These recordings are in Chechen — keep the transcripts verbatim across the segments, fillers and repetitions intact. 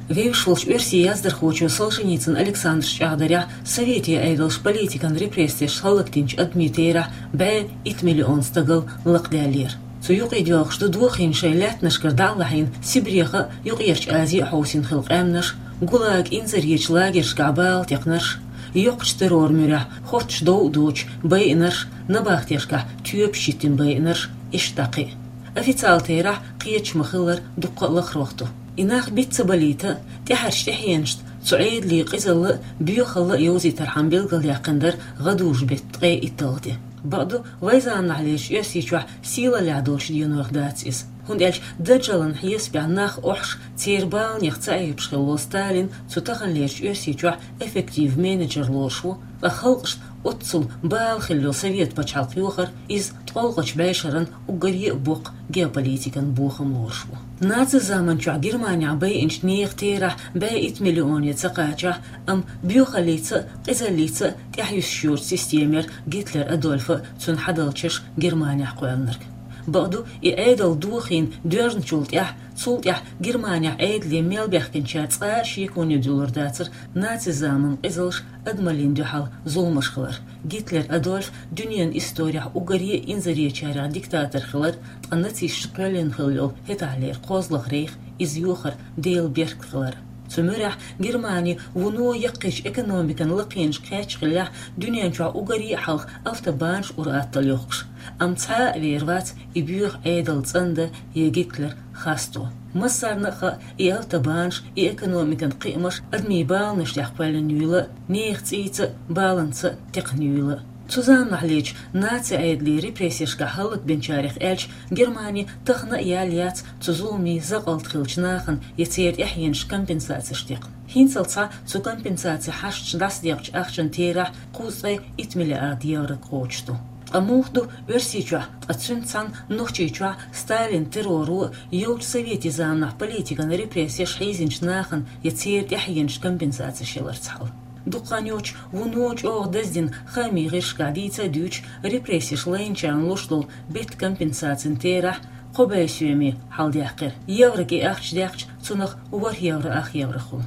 Вевзаш волчу оьрсийн яздархочо Солженицын Александра чӀагӀдарехь, советийн Ӏедалша политикан репрессеш хӀаллакдинчу адамийн терахь бӀе итт миллион стагал лакхадаьллера. Цу юкъе доьлхуш ду дохийна шайн лаьттанашкара дӀа а лахьийна Сибреха а, Юккъерчу Азия а хьовсийна хилла къаьмнаш, ГУЛАГ инзаречу лагершкахь бала текхнарш, йоккхачу терроран муьрехь хоттуш дов а доцуш байинарш, набахтешкахь тоьпаш йиттина байинарш, иштта кхин а. Официалан терахь кхеташ ма-хиллара, дуккха а лахарох ду. И нах биц ца балийта а, тӀаьхьарчу тӀаьхьенашна цу Ӏедалийн къизалла а, боьхалла а йовзийтархьама билгалъяьккхина дара гӀадужу-беттан ткъе итталгӀа де. Бакъду, вайн заманахьлерчу Оьрсийчохь сийлаллехь долчу денойх дац иза. ХӀунда аьлча Даджалан хьесапехь нах охьуш, церан баланех ца Ӏебаш хилла волу Сталин цу таханлерчу Оьрсийчохь эффектив менеджер лоруш ву, ткъа халкъашна оццул бала хилла йолу совет пачхьалкх йохор, иза ткъолгӀачу бӀешаран уггаре а боккха геополитикан бохам лоруш ву. Наци заманчохь Германехь байинчу нехан терахь бӀе итт миллионе ца кхачахь, амма боьхаллица а, къизаллица а тӀаьхьа юьсуш йоцу система яра Гитлер Адольфа а, цуьнан хьадалчаша Германехь кхоьллинарг. Бакъду, и Ӏедал дохийна доьжначул тӀаьхьа, цул тӀаьхьа Германехь Ӏедале мел баьхкинчара цкъа а шеконе дуьллур дацара наци заманан къизалш, адамаллина дуьхьал зуламаш хилар. Гитлер Адольф дуьненан исторехь уггаре а инзаречарех диктатор хилар, ткъа нацисташа кхоьллина хилла йолу хӀетахьлера кхозлагӀа рейх, иза йохар Делан беркат хилар. Цу муьрехь Германи вуно яккхийчу экономикан лакхенашка кхаьчна хиллехь, дуьнен чохь уггаре а хьалха автобанаш ур-атталла йохкуш. Амма цхьа а вер вац и боьха Ӏедал цӀандан я Гитлер хасто. Массарна а хаьа, и автобанаш, и экономикан кхиамаш адамийн баланаш тӀехь кхоьллина юйла а, нехан цӀийца а, баланца а текхна юйла а. Цу заманахьлерчу наци Ӏедалан репрессешкахь хӀаллакбинчарех аьлча, Германи тахана а яьлла яц цу зуламийн закъалт хиллачу нахана я церан тӀаьхьенашна компенсацеш текхна. ХӀинццалц цу компенсацин хьашташ дӀасадекъчу ахчанан терахь кхузткъе итт миллиард евро кхочуш ду. Ткъа муха ду Оьрсийчохь, ткъа цуьнца цхьаьна Нохчийчохь Сталинан терроро а, йолчу советийн заманахь политикан репрессеш хьийзинчу нахана я церан тӀаьхьенашна компенсацеш яларца хьал? Дукха хан йоццуш вуно чӀогӀа даздина хаамийн гӀирсашкахь дийца а дуьйцуш, репрессеш лайначарна луш долу беттан компенсацин терахь кхо бӀе соьме хьалдаьккхира. Еврога и ахча даьккхича, цунах ворхӀ евро ах евро хуьлу.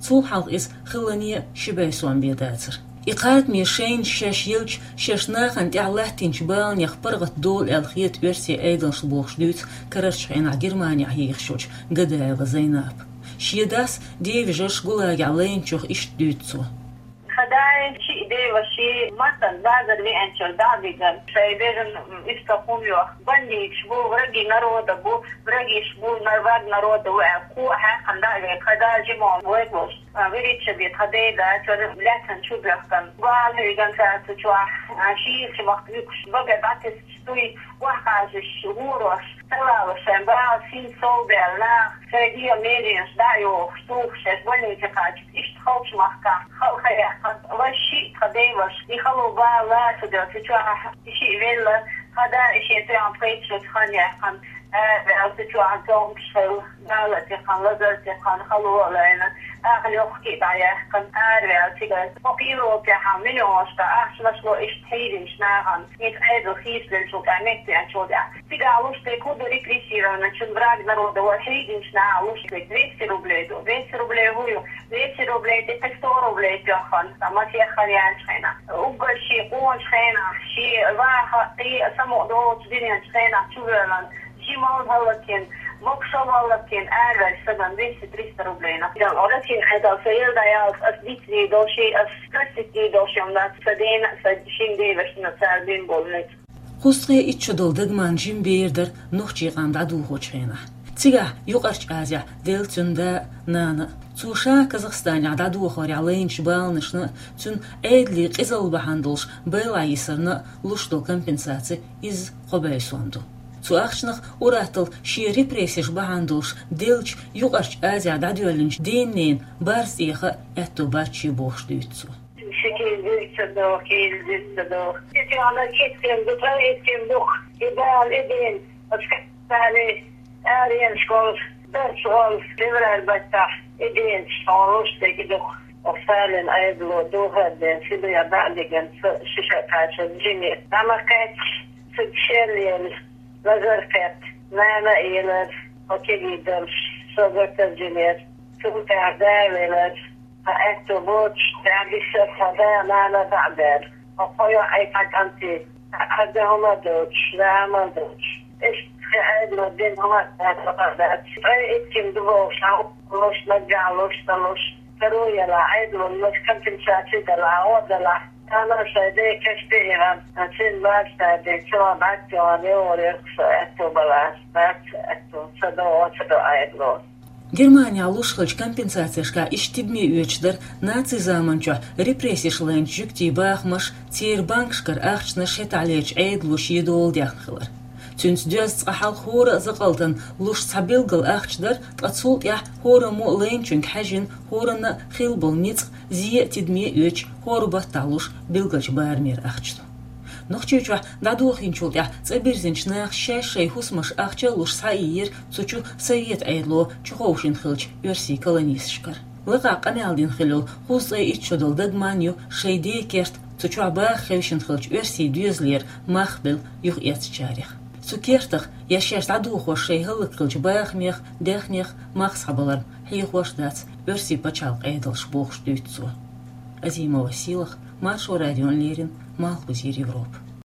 Цул хьалха иза хиллане а ши бӀе сом бен дацара. И кхардаме шайна шаьш елча, шаьш нахана тӀехь латтийначу баланех паргӀат долу аьлла хета оьрсийн Ӏедалшна бохуш дуьйцу карарчу хенахь Германехь ехаш йолчу Гадаева Зайнапа. Шен дас, ден вежарш ГУЛАГехь лайначух иштта дуьйцу цо. Тхан да шиъ, ден ваша маттана базар веанчуьра дӀа а вигна, шайн бежан иштта хӀума йоху. Бандиташ бу, враги народа бу, врагиш бу, враг народа ву аьлла, кхо а хьаькхна дӀа а вигна, тхан да жима вайга волуш. А, вирича бен тхан ден да, чуьра лаьцна чу бехкан. Бала хьийган цаьрца чохь, а, шийла чу махка вуьгуш, бага дӀатесча, дуй, охьакхажаш, гӀорош, талалаш шайн бала син сов баьлла нах, шайн дегӀан меренаш дӀа а йохуш, тухуш, шаьш больнице кхача, иштта халчу махкахь, халха яьккхина, вай шиъ тхан ден ваша, и хало бала лаца делла, цу чохь и шиъ велла, тхан да и шен тоьхна пхийтта шо хан яьккхина, ара ваьлла, цу чохь цомгуш хилла, бала а текхна, лазар а текхна, хало а лайна, ахьа лохки а дӀаяьккхина, ара ваьлла цигара. Хьо кхийролчехьа миллионашка ахчанаш ло иштта хьийзинчу нахана, иза Ӏедал хийцаделлачул тӀаьхьа, меттаеанчул тӀаьхьа. Цигахь луш дерг хӀун ду, репрессированный, чун враг народа вара, хьийзинчу нахана луш дерг двести рублей ду. Двести рублей хӀун ю? Двести рублей тӀе кхин сто рублей тоьхна, сан масех хан яьлчу хенахь. Уггар шен къоначу хенахь, шен ваха, кхин а самукъа долчу диненчу хенахь чувоьллина, жималла хӀаллакйина, могушалла хӀаллакйина, араваьллачу стагана двести-триста рублей на. Россин Ӏедал сан ел дӀаяллалц ас дицдийр долу ши, ас простить дийр долу ши хӀума дац, сан дена а, сан шин девашна а цара бина болу ницкъ. Кхузткъе итт шо долу дагман жима бер дара нохчийн къам дӀадохочу хенахь. Цигахь Юккъерчу Азехь делла цуьнан да а, нана а. Цо ша Казахстанехь дӀадохорехь лайначу баланашна а, цуьнан Ӏедалийн къизалла бахьана долуш байла йисарна а луш долу компенсаци изза кхо бӀе сом ду. Цу ахчанах ур-атталла шен репрессеш бахьана долуш деллачу Юккъерчу Азехь дӀадоьллинчу ден-ненан барз тӀеха а аьтто бац шен бохуш дуьйцу цо. Ши кийла дирца ду, кийла дирца ду. Ши кийла дирца ду, и бала, и дин, оцу Сталин, арена школаш, дарс волу, февраль баттахь, и дин, школаш дерг ду. Оцу Сталин Ӏедало духар ден, Сибре дӀа а дигна, со шиша кхача жиме. ДӀа ма кхаьчча, цига шел елла, лазар кхетта, нана а елара, хьо кегий долуш, со гатар жинера. Цул тӀаьхьа да велар, тха аьтту боцуш, тӀаьхьа биссар тха да-нана дӀа а баьр. Хьо кхо йоӀ, кхо кӀанти, хьан да хӀума доцуш, да хӀума доцуш. Иштта Ӏедало дина хӀума дац, хӀума дац. Ткъе итт ким ду бохуш, хьан луш, наггахь луш, ца луш, каро ялахь, Ӏедало луш, компенсаци далахь, гӀо далахь. Тахана шайн ден кеште а йигӀан, цуьнан бац таден, цуьнан бац йогӀан, йогӀур яра со аьтту балахь, бац аьтту, ца до, ца до Ӏедало. Германехь луш хиллачу компенсацешкахь иштта тидаме оьцуш дара нацийн заманчохь репрессеш лайначу жуьгтийн бахамаш, церан банкашкара ахчанаш хӀетахь лерчу Ӏедало шен дола дехна хилар. Цуьнца доьзна цкъа хьалха хӀора а закъалтана луш цхьа билггал ахча дара, ткъа цул тӀаьхьа хӀораммо а лайначуьнга хьаьжжина, хӀоранна а хилла болу ницкъ зе а тидаме а оьцуш, хӀора баттахь луш билгалчу барамера ахча ду. Нохчийчохь дӀадохийначул тӀаьхьа цӀа бирзинчу наха шаьш шайн хӀусамаш ахча а луш схьаийра цу чу Совет Ӏедало чуховшийна хиллачу оьрсийн колонисташкара. Лакхахь къамел дина хилла йолу кхузткъе итт шо долу дагаман ю шайн ден керта цу чохь баха хевшина хиллачу оьрсийн доьзалера мах белла юхаэцначарех. Цу кертах я шаьш дӀадохош шайн хӀаллакьхиллачу бахамех, даьхнех мах схьабаларна хьехош дац оьрсийн пачхьалкхан Ӏедалш, бохуш дуьйцу цо. Азимова Сийлаха, Маршо радиона леррина, Малхбузера Европа.